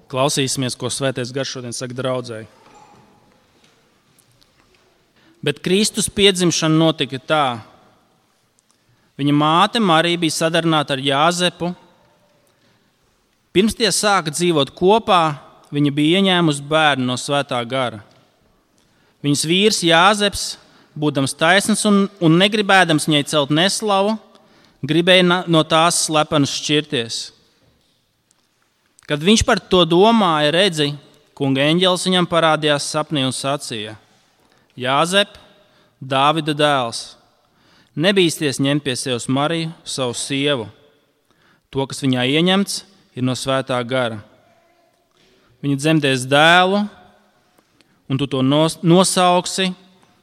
Klausīsimies, ko Svētais Gars šodien saka draudzei. Bet Kristus piedzimšana notika tā. Viņa māte Marija bija sadarināta ar Jāzepu. Pirms tie sāka dzīvot kopā, viņa bija ieņēmusi bērnu no Svētā Gara. Viņas vīrs Jāzeps, būdams taisns un negribēdams viņai celt neslavu, gribēja no tās slepenus šķirties. Kad viņš par to domāja, redzi, kunga eņģelis viņam parādījās sapnī un sacīja: Jāzep, Dāvida dēls, nebīsties ņemt pie sevis Mariju, savu sievu. To, kas viņā ieņemts, ir no Svētā Gara. Viņa dzemdēs dēlu, un tu to nosauksi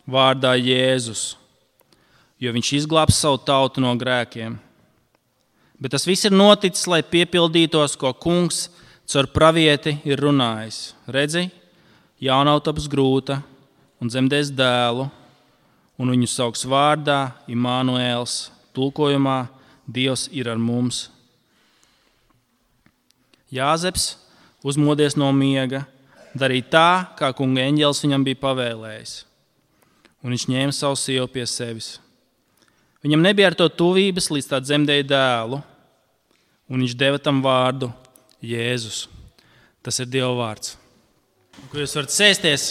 vārdā Jēzus, jo viņš izglābs savu tautu no grēkiem. Bet tas viss ir noticis, lai piepildītos, ko kungs caur pravieti ir runājis. Redzi, jaunava taps grūta un dzemdēs dēlu, un viņu sauks vārdā Imānuēls, tulkojumā Dievs ir ar mums. Jāzeps uzmodies no miega, darīja tā, kā kunga eņģelis viņam bija pavēlējis, un viņš ņēma savu sievu pie sevis. Viņam nebija ar to tuvības, līdz tā dzemdēja dēlu, un viņš deva tam vārdu Jēzus. Tas ir Dieva vārds. Kur jūs varat sēsties,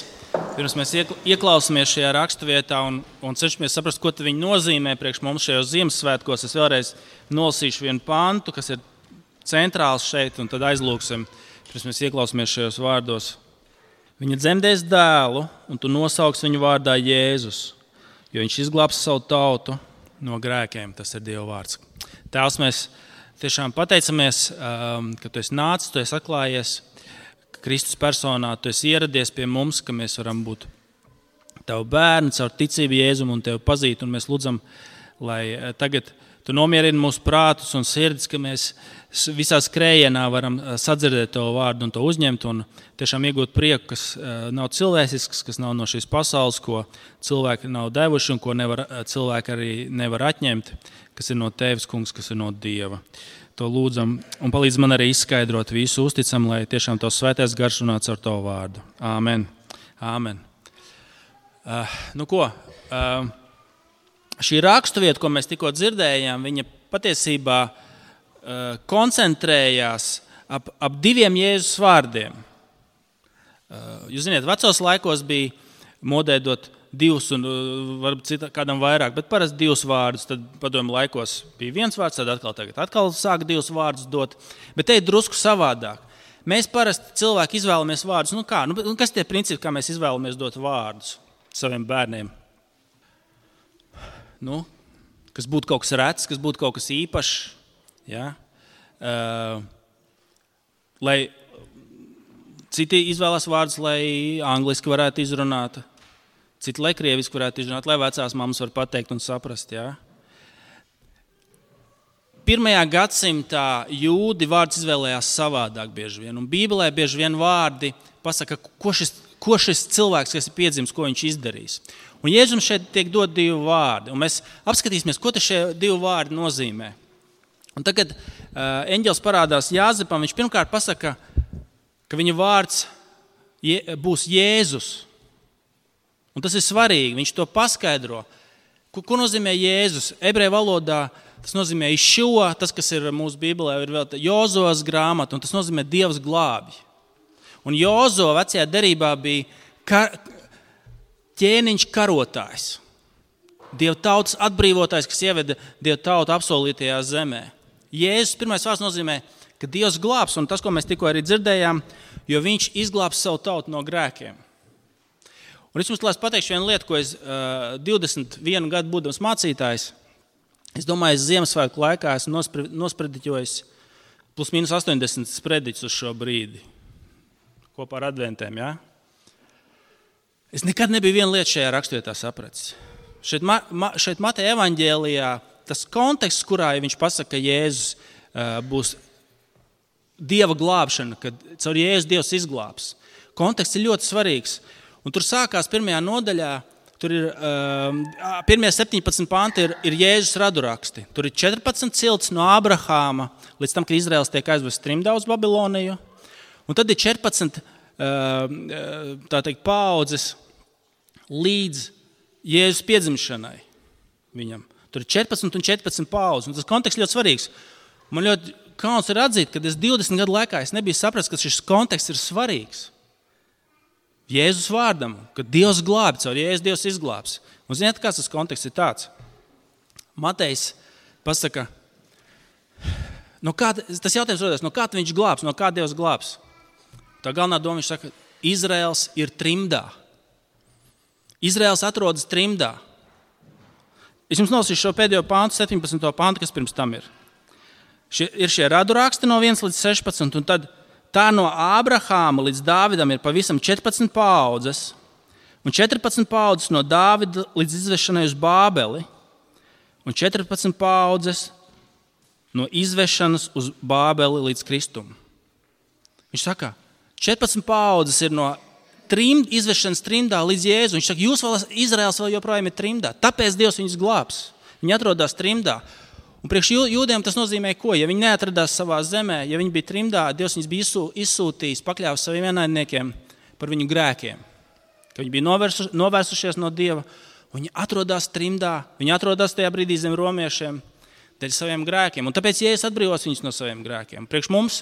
pirms mēs ieklausāmies šajā raksturvietā un cenšamies saprast, ko viņi nozīmē priekš mums šajos Ziemassvētkos. Es vēlreiz nolasīšu vienu pantu, kas ir centrāls šeit, un tad aizlūksim, pirms mēs ieklausāmies šajos vārdos. Viņa dzemdēs dēlu, un tu nosauks viņu vārdā Jēzus, jo viņš izglābs savu tautu no grēkiem. Tas ir Dieva vārds. Tēvs, mēs tiešām pateicamies, ka tu esi nācis, tu esi atklājies Kristus personā, tu esi ieradies pie mums, ka mēs varam būt tavu bērni, caur ticību Jēzum un tevi pazīt. Un mēs lūdzam, lai tagad tu nomierini mūsu prātus un sirdis, ka mēs visā skrējienā varam sadzirdēt tavu vārdu un to uzņemt un tiešām iegūt prieku, kas nav cilvēcisks, kas nav no šīs pasaules, ko cilvēki nav devuši un ko cilvēki arī nevar atņemt, kas ir no tevis, kungs, kas ir no Dieva. To lūdzam un palīdz man arī izskaidrot visu, uzticam, lai tiešām tavs Svētais Gars runā caur tavu vārdu. Āmen. Āmen. Šī raksturvieta, ko mēs tikko dzirdējām, viņa patiesībā koncentrējās ap diviem Jēzus vārdiem. Jūs ziniet, vecos laikos bija modē dot divus un varbūt kādam vairāk, bet parasti divus vārdus. Tad padomju laikos bija viens vārds, tad atkal sāk divus vārdus dot. Bet te ir drusku savādāk. Mēs parasti cilvēki izvēlamies vārdus. Kas tie principi, kā mēs izvēlamies dot vārdus saviem bērniem? Kas būtu kaut kas rets, kas būtu kaut kas īpašs. Ja? Lai citi izvēlās vārdus, lai angliski varētu izrunāt. Citi, lai krieviski varētu izrunāt, lai vecās mammas var pateikt un saprast. Ja? 1. gadsimtā jūdi vārdus izvēlējās savādāk bieži vien. Un Bībelē bieži vien vārdi pasaka, ko šis cilvēks, kas ir piedzimis, ko viņš izdarīs. Un Jēzum šeit tiek dot divi vārdi. Un mēs apskatīsimies, ko šie divi vārdi nozīmē. Un tagad eņģelis parādās Jāzepam. Viņš pirmkārt pasaka, ka viņa vārds būs Jēzus. Un tas ir svarīgi, viņš to paskaidro. Ko nozīmē Jēzus? Ebreju valodā tas nozīmē Išo, tas, kas ir mūsu Bībelē, ir vēl Jozovas grāmata, un tas nozīmē Dievs glābj. Un Jozo vecajā derībā bija ķēniņš karotājs. Dieva tautas atbrīvotājs, kas ieveda Dieva tautu apsolītajā zemē. Jēzus pirmais vārds nozīmē, ka Dievs glābs, un tas, ko mēs tikko arī dzirdējām, jo viņš izglābs savu tautu no grēkiem. Un es jums pateikšu vienu lietu, ko es 21 gadu būdams mācītājs, es domāju, es Ziemassvētku laikā esmu nosprediķojis plus mīnus 80 sprediķus uz šo brīdi. Kopā ar adventēm, ja? Es nekad nebiju vienu lietu šajā raksturvietā sapratis. Šeit Mateja evaņģēlijā tas konteksts, kurā viņš pasaka, ka Jēzus būs Dieva glābšana, kad caur Jēzus Dievs izglābs. Konteksts ir ļoti svarīgs. Un tur sākās 1. nodaļā, tur ir 17 panti ir Jēzus raduraksti. Tur ir 14 cilts no Abrahāma līdz tam, kad Izraels tiek aizvests trimdā uz Babiloniju. Un tad ir 14 paaudzes līdz Jēzus piedzimšanai viņam. Tur ir 14 un 14 paaudzes, un tas konteksts ļoti svarīgs. Man ļoti kauns ir atzīt, ka 20 gadu laikā es nebiju sapratis, ka šis konteksts ir svarīgs. Jēzus vārdam, ka Dievs glābi, caur Jēzus Dievs izglābs. Un ziniet, kāds tas konteksts ir tāds? Matejs pasaka, tas jautājums rodas, no kā viņš glābs, no kā Dievs glābs? Tā galvenā doma, viņš saka, Izraels ir trimdā. Izraels atrodas trimdā. Es jums nolasīšu šo pēdējo pāntu, 17. pāntu, kas pirms tam ir. Ir šie radu raksti no 1 līdz 16, un tad tā no Ābrahāma līdz Dāvidam ir pavisam 14 paaudzes, un 14 paaudzes no Dāvida līdz izvešanai uz Bābeli, un 14 paaudzes no izvešanas uz Bābeli līdz Kristum. Viņš saka, 14 paaudzes ir no izvešanas trimdā līdz Jēzu. Viņš saka, Izraels vēl joprojām ir trimdā, tāpēc Dievs viņus glābs. Viņi atrodās trimdā. Un priekš jūdiem tas nozīmē ko? Ja viņi neatradās savā zemē, ja viņi bija trimdā, Dievs viņus bija izsūtījis, pakļāvis saviem ienaidniekiem par viņu grēkiem. Ka viņi bija novērsušies no Dieva, viņi atrodās trimdā, viņi atrodās tajā brīdī zem romiešiem dēļ saviem grēkiem. Un tāpēc Jēzus atbrīvos viņus no saviem grēkiem. Priekš mums,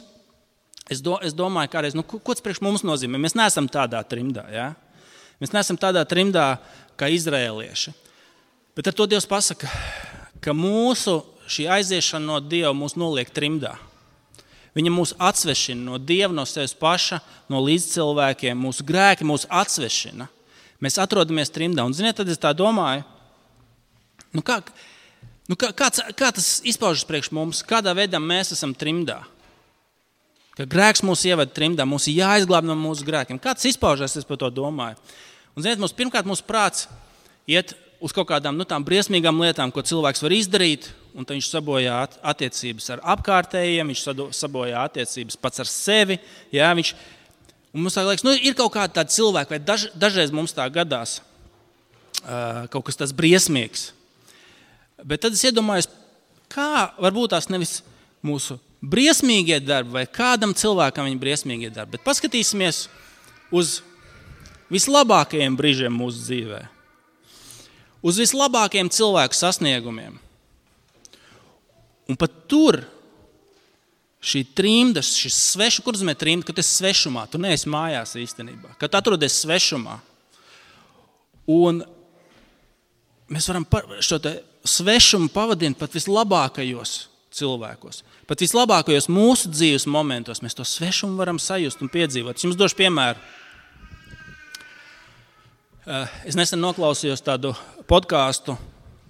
es domāju kādreiz, ko tas priekš mums nozīmē? Mēs neesam tādā trimdā, ja? Mēs neesam tādā trimdā kā izraēlieši. Bet ar to Dievs pasaka, ka šī aiziešana no Dieva mūs noliek trimdā. Viņa mūs atsvešina no Dieva, no sevis paša, no līdzcilvēkiem. Mūsu grēki mūs atsvešina. Mēs atrodamies trimdā. Un ziniet, tad es tā domāju, kā tas izpaužas priekš mums? Kādā veidā mēs esam trimdā? Ka grēks mūs ieved trimdā, mums ir jāizglāb no mūsu grēkiem. Kā tas izpaužas, es par to domāju? Un ziniet, pirmkārt, mūsu prāts iet uz kaut kādām tām briesmīgām lietām, ko cilvēks var izdarīt, un tad viņš sabojā attiecības ar apkārtējiem, viņš sabojā attiecības pats ar sevi. Jā, un mums tā liekas, ir kaut kādi tādi cilvēki, vai dažreiz mums tā gadās kaut kas tāds briesmīgs. Bet tad es iedomājos, kā varbūt tās nevis mūsu briesmīgie darbi, vai kādam cilvēkam viņa briesmīgie darbi, bet paskatīsimies uz vislabākajiem brīžiem mūsu dzīvē. Uz vislabākajiem cilvēku sasniegumiem. Un pat tur šī trimda, šis svešu, kur nozīmē trimda, kad esi svešumā, tu neesi mājās īstenībā, kad atrodies svešumā. Un mēs varam šo svešumu pavadīt pat vislabākajos cilvēkos. Pat vislabākajos mūsu dzīves momentos mēs to svešumu varam sajust un piedzīvot. Es jums došu piemēru. Es nesen noklausījos tādu podcastu,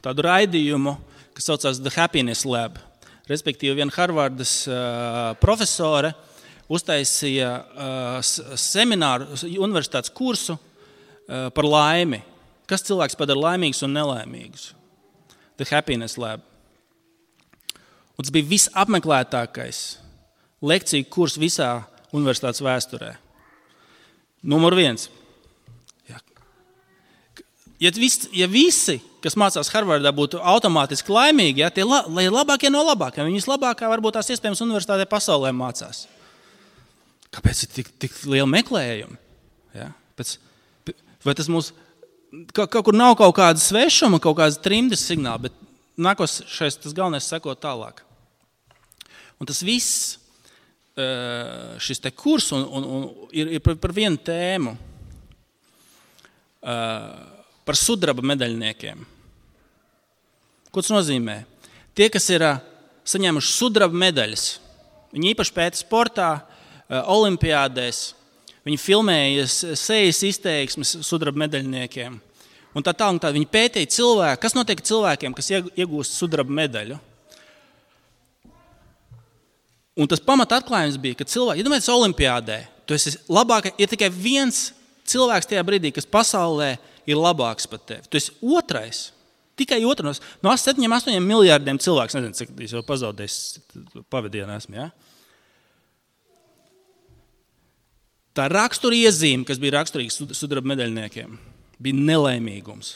tādu raidījumu, kas saucās The Happiness Lab. Respektīvi, viena Harvardas profesore uztaisīja semināru, universitātes kursu par laimi. Kas cilvēks padara laimīgus un nelaimīgus? The Happiness Lab. Un tas bija visapmeklētākais lekciju kurs visā universitātes vēsturē. Numur 1. Ja visi, kas mācās Harvardā, būtu automātiski laimīgi, ja, tie ir labākie no labākiem. Viņi vislabākā varbūt tās iespējams universitātē pasaulē mācās. Kāpēc ir tik liela meklējuma? Ja? Vai tas mums kaut kur nav kaut kāda svešuma, kaut kāda trimdes signāla, bet nākošais tas galvenais sekot tālāk. Un tas viss, šis te kurs ir par vienu tēmu. Par sudraba medaļniekiem. Ko tas nozīmē? Tie, kas ir saņēmuši sudraba medaļas, viņi īpaši pēta sportā, olimpiādēs, viņi filmēja sejas izteiksmes sudraba medaļniekiem. Un tā viņi pētīja cilvēku, kas notiek cilvēkiem, kas iegūst sudraba medaļu. Un tas pamata atklājums bija, ka cilvēki, iedomājieties olimpiādē, tu esi labākais, ir tikai viens cilvēks tajā brīdī, kas pasaulē ir labāks par tevi. Tu esi otrais, tikai otrais. No 7-8 miljārdiem cilvēks, nezinu, cik es jau pazaudējis pavadienu esmu, ja? Tā rakstura iezīme, kas bija raksturīga sudraba medaļniekiem, bija nelaimīgums.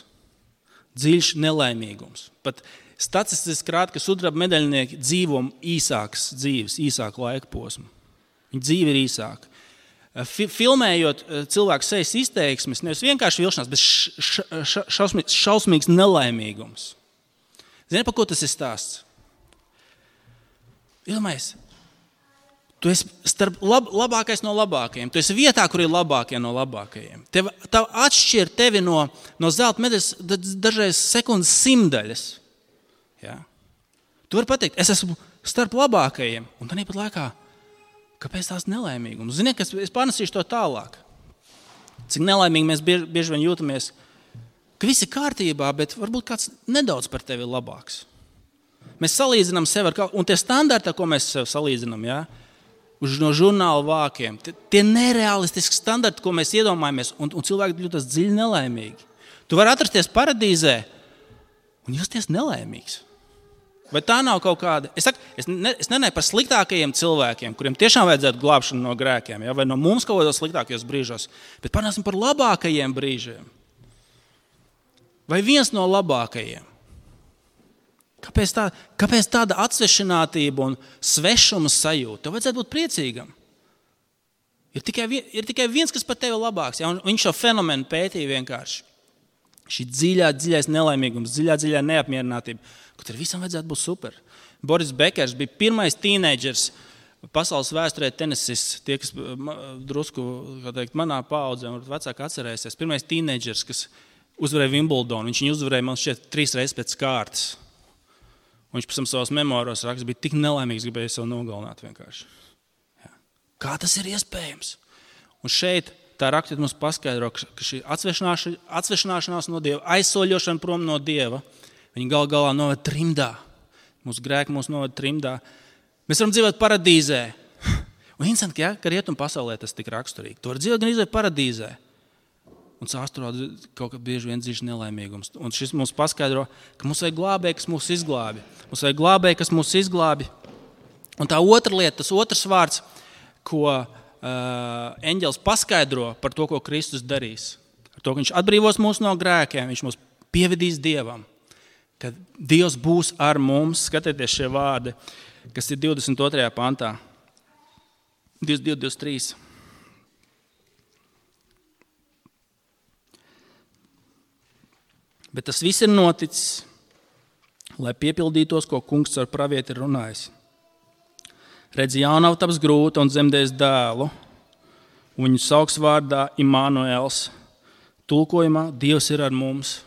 Dziļš nelaimīgums. Pat statistiski rāda, ka sudraba medaļnieki dzīvo īsākas dzīves, īsāku laika posmu. Viņa dzīve ir īsāka. filmējot cilvēku sejas izteiksmes, nevis vienkārši vilšanās, bet šausmīgs nelaimīgums. Zini, par ko tas ir stāsts? Iedomājies, tu esi starp labākais no labākajiem. Tu esi vietā, kur ir labākie no labākajiem. Tev atšķir tevi no zelta medaļas dažreiz sekundes simtdaļas. Ja? Tu vari pateikt, es esmu starp labākajiem, un tad pat laikā, kāpēc tās nelaimīgums? Zini, ka es pārnesīšu to tālāk. Cik nelaimīgi mēs bieži vien jūtamies, ka viss ir kārtībā, bet varbūt kāds nedaudz par tevi ir labāks. Mēs salīdzinām sevi ar kaut ko, un tie standarti, ko mēs sev salīdzinām, ja, no žurnāla vākiem, tie nerealistiski standarti, ko mēs iedomājamies, un cilvēki jūtas dziļi nelaimīgi. Tu vari atrasties paradīzē un justies nelaimīgs. Vai tā nav kaut kāda? Es nenāju par sliktākajiem cilvēkiem, kuriem tiešām vajadzētu glābšanu no grēkiem, ja, vai no mums kaut kādos sliktākajos brīžos, bet parunāsim par labākajiem brīžiem. Vai viens no labākajiem? Kāpēc tāda atsvešinātība un svešuma sajūta? Tev vajadzētu būt priecīgam. Ir tikai viens, kas par tevi ir labāks. Ja? Un viņš šo fenomenu pētīja vienkārši. Šī dziļais nelaimīgums, dziļā neapmierinātība, ka tur visam vajadzētu būt super. Boris Bekers bija pirmais tīneidžers pasaules vēsturē tenisists. Tie, kas drusku, manā paaudzē, un vecāki atcerēsies. Pirmais tīneidžers, kas uzvarēja Wimbledonu. Viņš viņu uzvarēja, man šķiet, 3 reizes pēc kārtas. Un viņš pēc tam savos memoāros raksta, bija tik nelaimīgs, gribēja sev nogalināt vienkārši. Ja. Kā tas ir iespējams? Un šeit tā rakstiet mums paskaidro, ka šī atsvešināšanās no Dieva, aizsoļošana prom no Dieva, viņi galā noved trimdā. Mūsu grēki mūs noved trimdā. Mēs varam dzīvot paradīzē. Un interesanti, ja, ka rietumu pasaulē tas tik raksturīgi. Tu vari dzīvot gan izvērt paradīzē. Un sāsturot kaut kā bieži vien dzīves nelaimīgums. Un šis mums paskaidro, ka mums vajag glābēji, kas mūs izglābi. Mums vajag glābēji, kas mūs izglābi. Un tā otra lieta, tas otrs vārds, ko eņģelis paskaidro par to, ko Kristus darīs. Ar to, ka viņš atbrīvos mūs no grēkiem, viņš mūs pievedīs Dievam. Kad Dievs būs ar mums, skatieties šie vārdi, kas ir 22. pantā. 22, 23. Bet tas viss ir noticis, lai piepildītos, ko kungs ar pravieti ir runājis. Redz, jaunava taps grūta un dzemdēs dēlu, un viņu sauks vārdā Immanuels. Tulkojumā Dievs ir ar mums.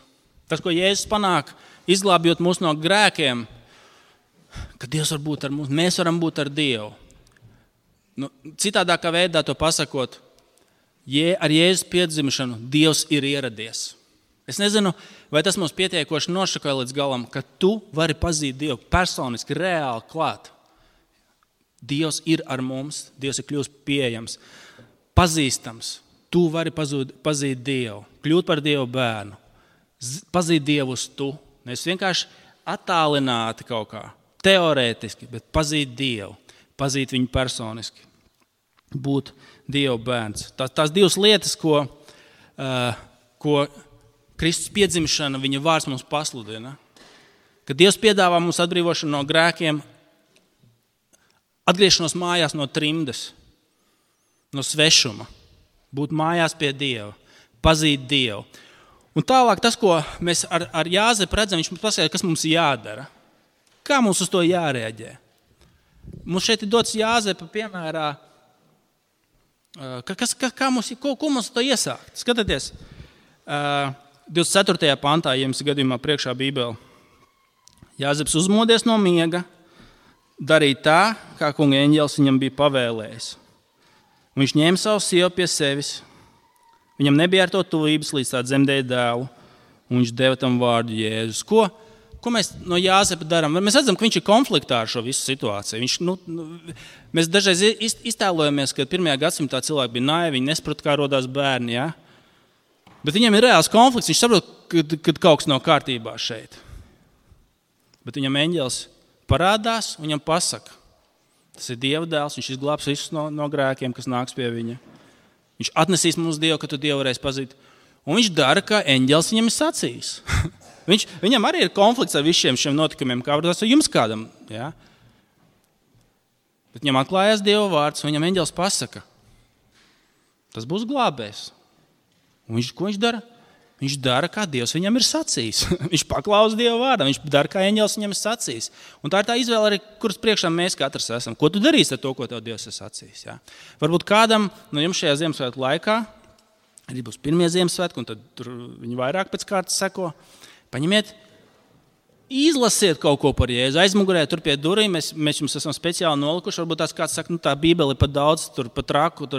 Tas, ko Jēzus panāk, izglābjot mūs no grēkiem, ka Dievs var būt ar mums, mēs varam būt ar Dievu. Citādākā veidā to pasakot, ar Jēzus piedzimšanu Dievs ir ieradies. Es nezinu, vai tas mums pietiekoši nošakoja līdz galam, ka tu vari pazīt Dievu personiski, reāli klāt. Dievs ir ar mums, Dievs ir kļūst pieejams, pazīstams. Tu vari pazīt Dievu, kļūt par Dievu bērnu, pazīt Dievu uz tu. Nevis vienkārši attālināti kaut kā, teorētiski, bet pazīt Dievu, pazīt viņu personiski, būt Dievu bērns. Tās divas lietas, ko Kristus piedzimšana, viņa vārds mums pasludina, ka Dievs piedāvā mums atbrīvošanu no grēkiem, atgriešanos mājās no trimdes, no svešuma, būt mājās pie Dieva, pazīt Dievu. Un tālāk tas, ko mēs ar Jāzepu redzam, viņš mums pasaka, kas mums jādara. Kā mums uz to jārēģē? Mums šeit ir dots Jāzepa piemērā, ko mums to iesākt? Skatieties, 24. pantā, ja jums gadījumā priekšā Bībele. Jāzeps uzmodies no miega, darīja tā, kā kunga eņģelis viņam bija pavēlējis. Un viņš ņēma savu sievu pie sevis. Viņam nebija ar to tuvības, līdz tā dzemdēja dēlu, un viņš deva tam vārdu Jēzus. Ko mēs no Jāzepa darām? Mēs redzam, ka viņš ir konfliktā ar šo visu situāciju. Mēs dažreiz iztēlojamies, ka 1. gadsimtā cilvēki bija naivi, viņi nesaprata, kā rodās bērni. Ja? Bet viņam ir reāls konflikts, viņš saprot, ka kaut kas nav kārtībā šeit. Bet viņam eņģelis parādās un viņam pasaka. Tas ir Dieva dēls, viņš izglābs visus no grēkiem, kas nāks pie viņa. Viņš atnesīs mums Dievu, ka tu Dievu varēsi pazīt. Un viņš dara, kā eņģelis viņam ir sacījis. Viņam arī ir konflikts ar visiem šiem notikumiem, kā varbūt jums kādam. Ja? Bet viņam atklājās Dieva vārds, un viņam eņģelis pasaka. tas būs glābējs. Un ko viņš dara? Viņš dara, kā Dievs viņam ir sacījis. Viņš paklausa Dieva vārdam, viņš dara, kā eņģelis viņam ir sacījis. Un tā ir tā izvēle, arī, kuras priekšā mēs katrs esam. Ko tu darīsi ar to, ko tev Dievs ir sacījis? Ja? Varbūt kādam no jums šajā Ziemassvētku laikā arī būs pirmie Ziemassvētki, un tad tur viņi vairāk pēc kārtas seko. Paņemiet, izlasiet kaut ko par Jēzu. Aizmugurē tur pie durvīm mēs jums esam speciāli nolikuši. Varbūt tās kāds saka, tā Bībele ir pat daudz, tur pat traku,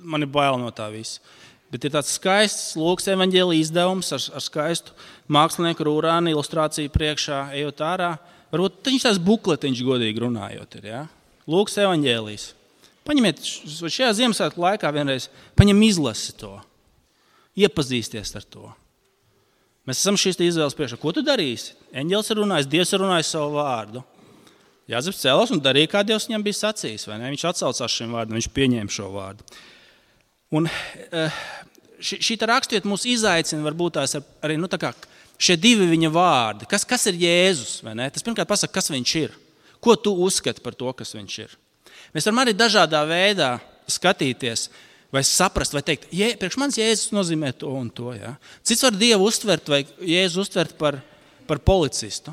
man ir bail no tā visa. Bet ir tāds skaists Lūkas evaņģēlija izdevums ar skaistu mākslinieku rūrāni ilustrāciju priekšā, ejot ārā. Varbūt viņš tās bukletiņš godīgi runājot ir, ja? Lūkas evaņģēlijs. Paņemiet šajā Ziemassvētku laikā vienreiz, izlasi to, iepazīsties ar to. Mēs esam šīs izvēles priekšā. Ko tu darīsi? Eņģelis ir runājis, Dievs ir runājis savu vārdu. Jāzeps cēlās un darīja, kā Dievs viņam bija sacījis. Vai ne? Viņš atsaucās šim vārdam, viņš pieņēma šo vārdu. Un šī rakstvieta mūs izaicina varbūt tās arī šie divi viņa vārdi. Kas ir Jēzus? Vai ne? Tas pirmkārt pasaka, kas viņš ir. Ko tu uzskati par to, kas viņš ir? Mēs varam arī dažādā veidā skatīties vai saprast, vai teikt, priekš manis Jēzus nozīmē to un to. Ja? Cits var Dievu uztvert vai Jēzu uztvert par policistu.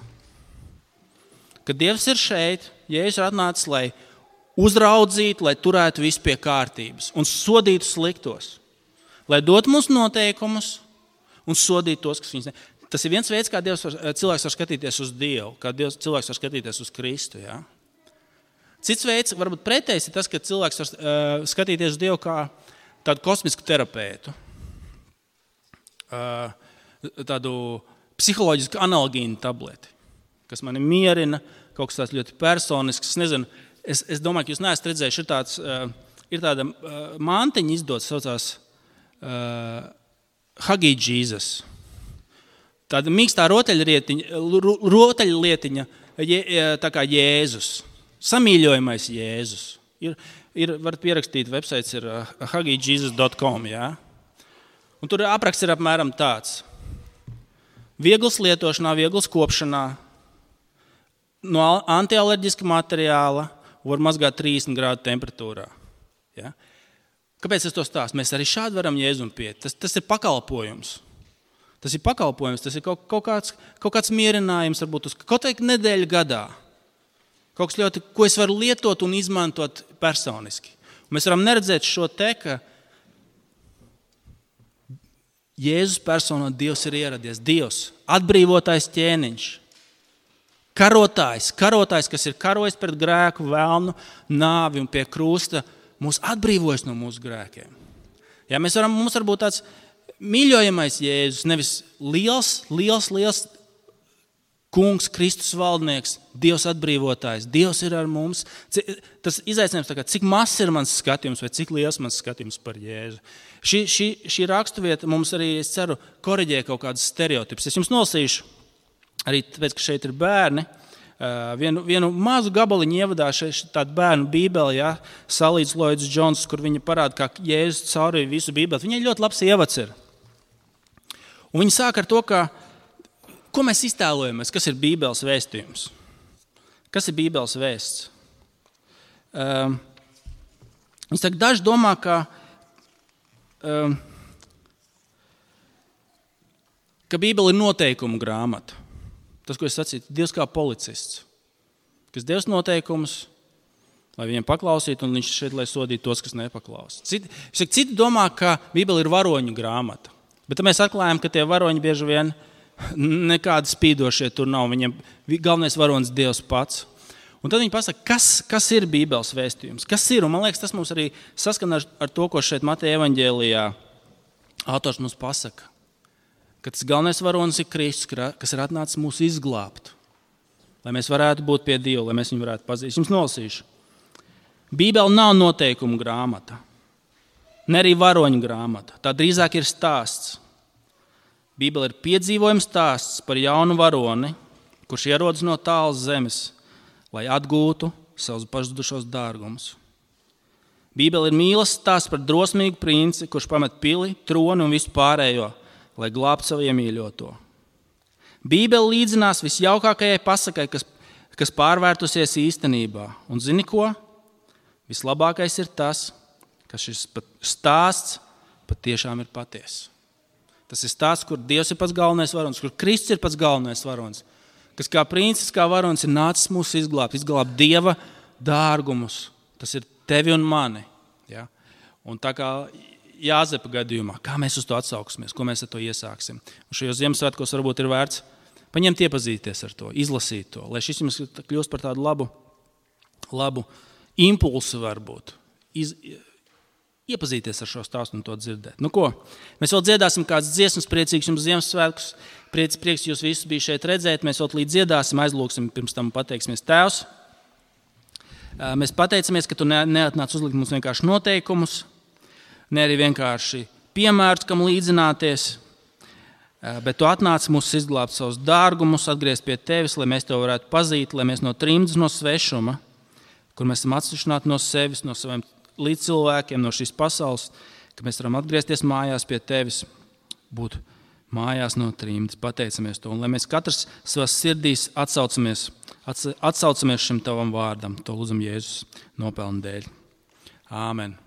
Kad Dievs ir šeit, Jēzus ir atnācis, lai uzraudzītu, lai turētu visu pie kārtības un sodītu sliktos. Lai dotu mums noteikumus un sodītu tos, kas viņus ne. Tas ir viens veids, kā cilvēks var skatīties uz Dievu, kā cilvēks var skatīties uz Kristu. Ja? Cits veids, varbūt pretējs, ir tas, ka cilvēks var skatīties uz Dievu kā tādu kosmisku terapeitu. Tādu psiholoģisku analgīnu tableti, kas mani mierina, kaut kas tāds ļoti personisks. Es nezinu, es domāju, ka jūs neesat redzējuši, ir tāda mantiņa izdots, saucās Huggy Jesus. Tāda mīkstā rotaļlietiņa, tā kā Jēzus. Samīļojamais Jēzus. Varat pierakstīt, websites ir huggyjesus.com. Ja? Un tur apraksts ir apmēram tāds. Viegls lietošanā, viegls kopšanā, no antialerģiska materiāla, var mazgāt 30 grādu temperatūrā. Ja? Kāpēc es to stāstu? Mēs arī šādi varam Jēzum piet. Tas ir pakalpojums. Tas ir pakalpojums, tas ir kaut kāds mierinājums, varbūt uz kaut kādu nedēļu gadā. Kaut kas ļoti, ko es varu lietot un izmantot personiski. Un mēs varam neredzēt šo te, ka Jēzus personā Dievs ir ieradies. Dievs, atbrīvotais ķēniņš. Karotājs, kas ir karojis pret grēku, velnu, nāvi un pie krusta, mūs atbrīvojas no mūsu grēkiem. Ja, mums var būt tāds mīļojamais Jēzus, nevis liels kungs, Kristus valdnieks, Dievs atbrīvotājs, Dievs ir ar mums. Tas izaicinājums, cik mazs ir mans skatījums vai cik liels mans skatījums par Jēzu. Šī rakstuvieta mums arī, es ceru, koriģē kaut kādus stereotipus. Es jums nolasīšu. Arī tāpēc, ka šeit ir bērni, vienu mazu gabaliņu ievadā tādu bērnu bībeli, ja, Salīdz Lloyds Jones, kur viņa parāda, kā Jēzus caurīja visu bībeli. Viņai ļoti labs ievads ir. Un viņa sāk ar to, ko mēs iztēlojamies, kas ir bībeles vēstījums. Kas ir bībeles vēsts? Viņa saka, daži domā, ka bībele ir noteikumu grāmata. Tas, ko es sacīju, Dievs kā policists, kas Dievs noteikumus, lai viņiem paklausītu, un viņš šeit, lai sodītu tos, kas nepaklaus. Citi domā, ka Bībele ir varoņu grāmata, bet mēs atklājam, ka tie varoņi bieži vien nekādi spīdošie tur nav. Viņiem galvenais varonis Dievs pats. Un tad viņi pasaka, kas ir Bībeles vēstījums? Kas ir? Un man liekas, tas mums arī saskana ar to, ko šeit Mateja evaņģēlijā autors mums pasaka. Ka tas galvenais varonis ir Kristus, kas ir atnācis mūs izglābt, lai mēs varētu būt pie Dieva, lai mēs viņu varētu pazīt. Jums nolasīšu. Bībele nav noteikumu grāmata, ne arī varoņu grāmata. Tā drīzāk ir stāsts. Bībele ir piedzīvojums stāsts par jaunu varoni, kurš ierodas no tālas zemes, lai atgūtu savus pazudušos dārgumus. Bībele ir mīlestības stāsts par drosmīgu princi, kurš pamet pili, troni un visu pārējo, lai glābtu savu iemīļoto. Bībele līdzinās visjaukākajai pasakai, kas pārvērtusies īstenībā. Un zini ko? Vislabākais ir tas, ka šis stāsts patiešām ir patiess. Tas ir stāsts, kur Dievs ir pats galvenais varonis, kur Kristus ir pats galvenais varonis, kas kā princis, kā varonis ir nācis mūs izglābt Dieva dārgumus. Tas ir tevi un mani. Ja? Un tā kā Jāzepa gadījumā, kā mēs uz to atsauksimies, ko mēs ar to iesāksim. Un šajos Ziemassvētkos varbūt ir vērts paņemt iepazīties ar to, izlasīt to, lai šis jums kļūst par tādu labu impulsu varbūt. Iepazīties ar šo stāstu un to dzirdēt. Nu ko, mēs vēl dziedāsim kādas dziesmas, priecīgs jums Ziemassvētkus, prieks jūs visus bija šeit redzēt, mēs vēl līdz dziedāsim, aizlūksim, pirms tam pateiksimies Tēvs. Mēs pateicamies, ka tu neatnāc uzlikt mums vienkārši noteikumus, ne arī vienkārši piemērus, kam līdzināties, bet tu atnāc mūs izglābt savus dārgumus, atgriezt pie tevis, lai mēs tev varētu pazīt, lai mēs no trimdas, no svešuma, kur mēs esam atsevišķināti no sevis, no saviem līdzcilvēkiem, no šīs pasaules, ka mēs varam atgriezties mājās pie tevis, būt mājās no trimdas, pateicamies to, un lai mēs katrs savās sirdīs atsaucamies šim tavam vārdam, to lūdzam Jēzus nopelnu dēļ. Āmen.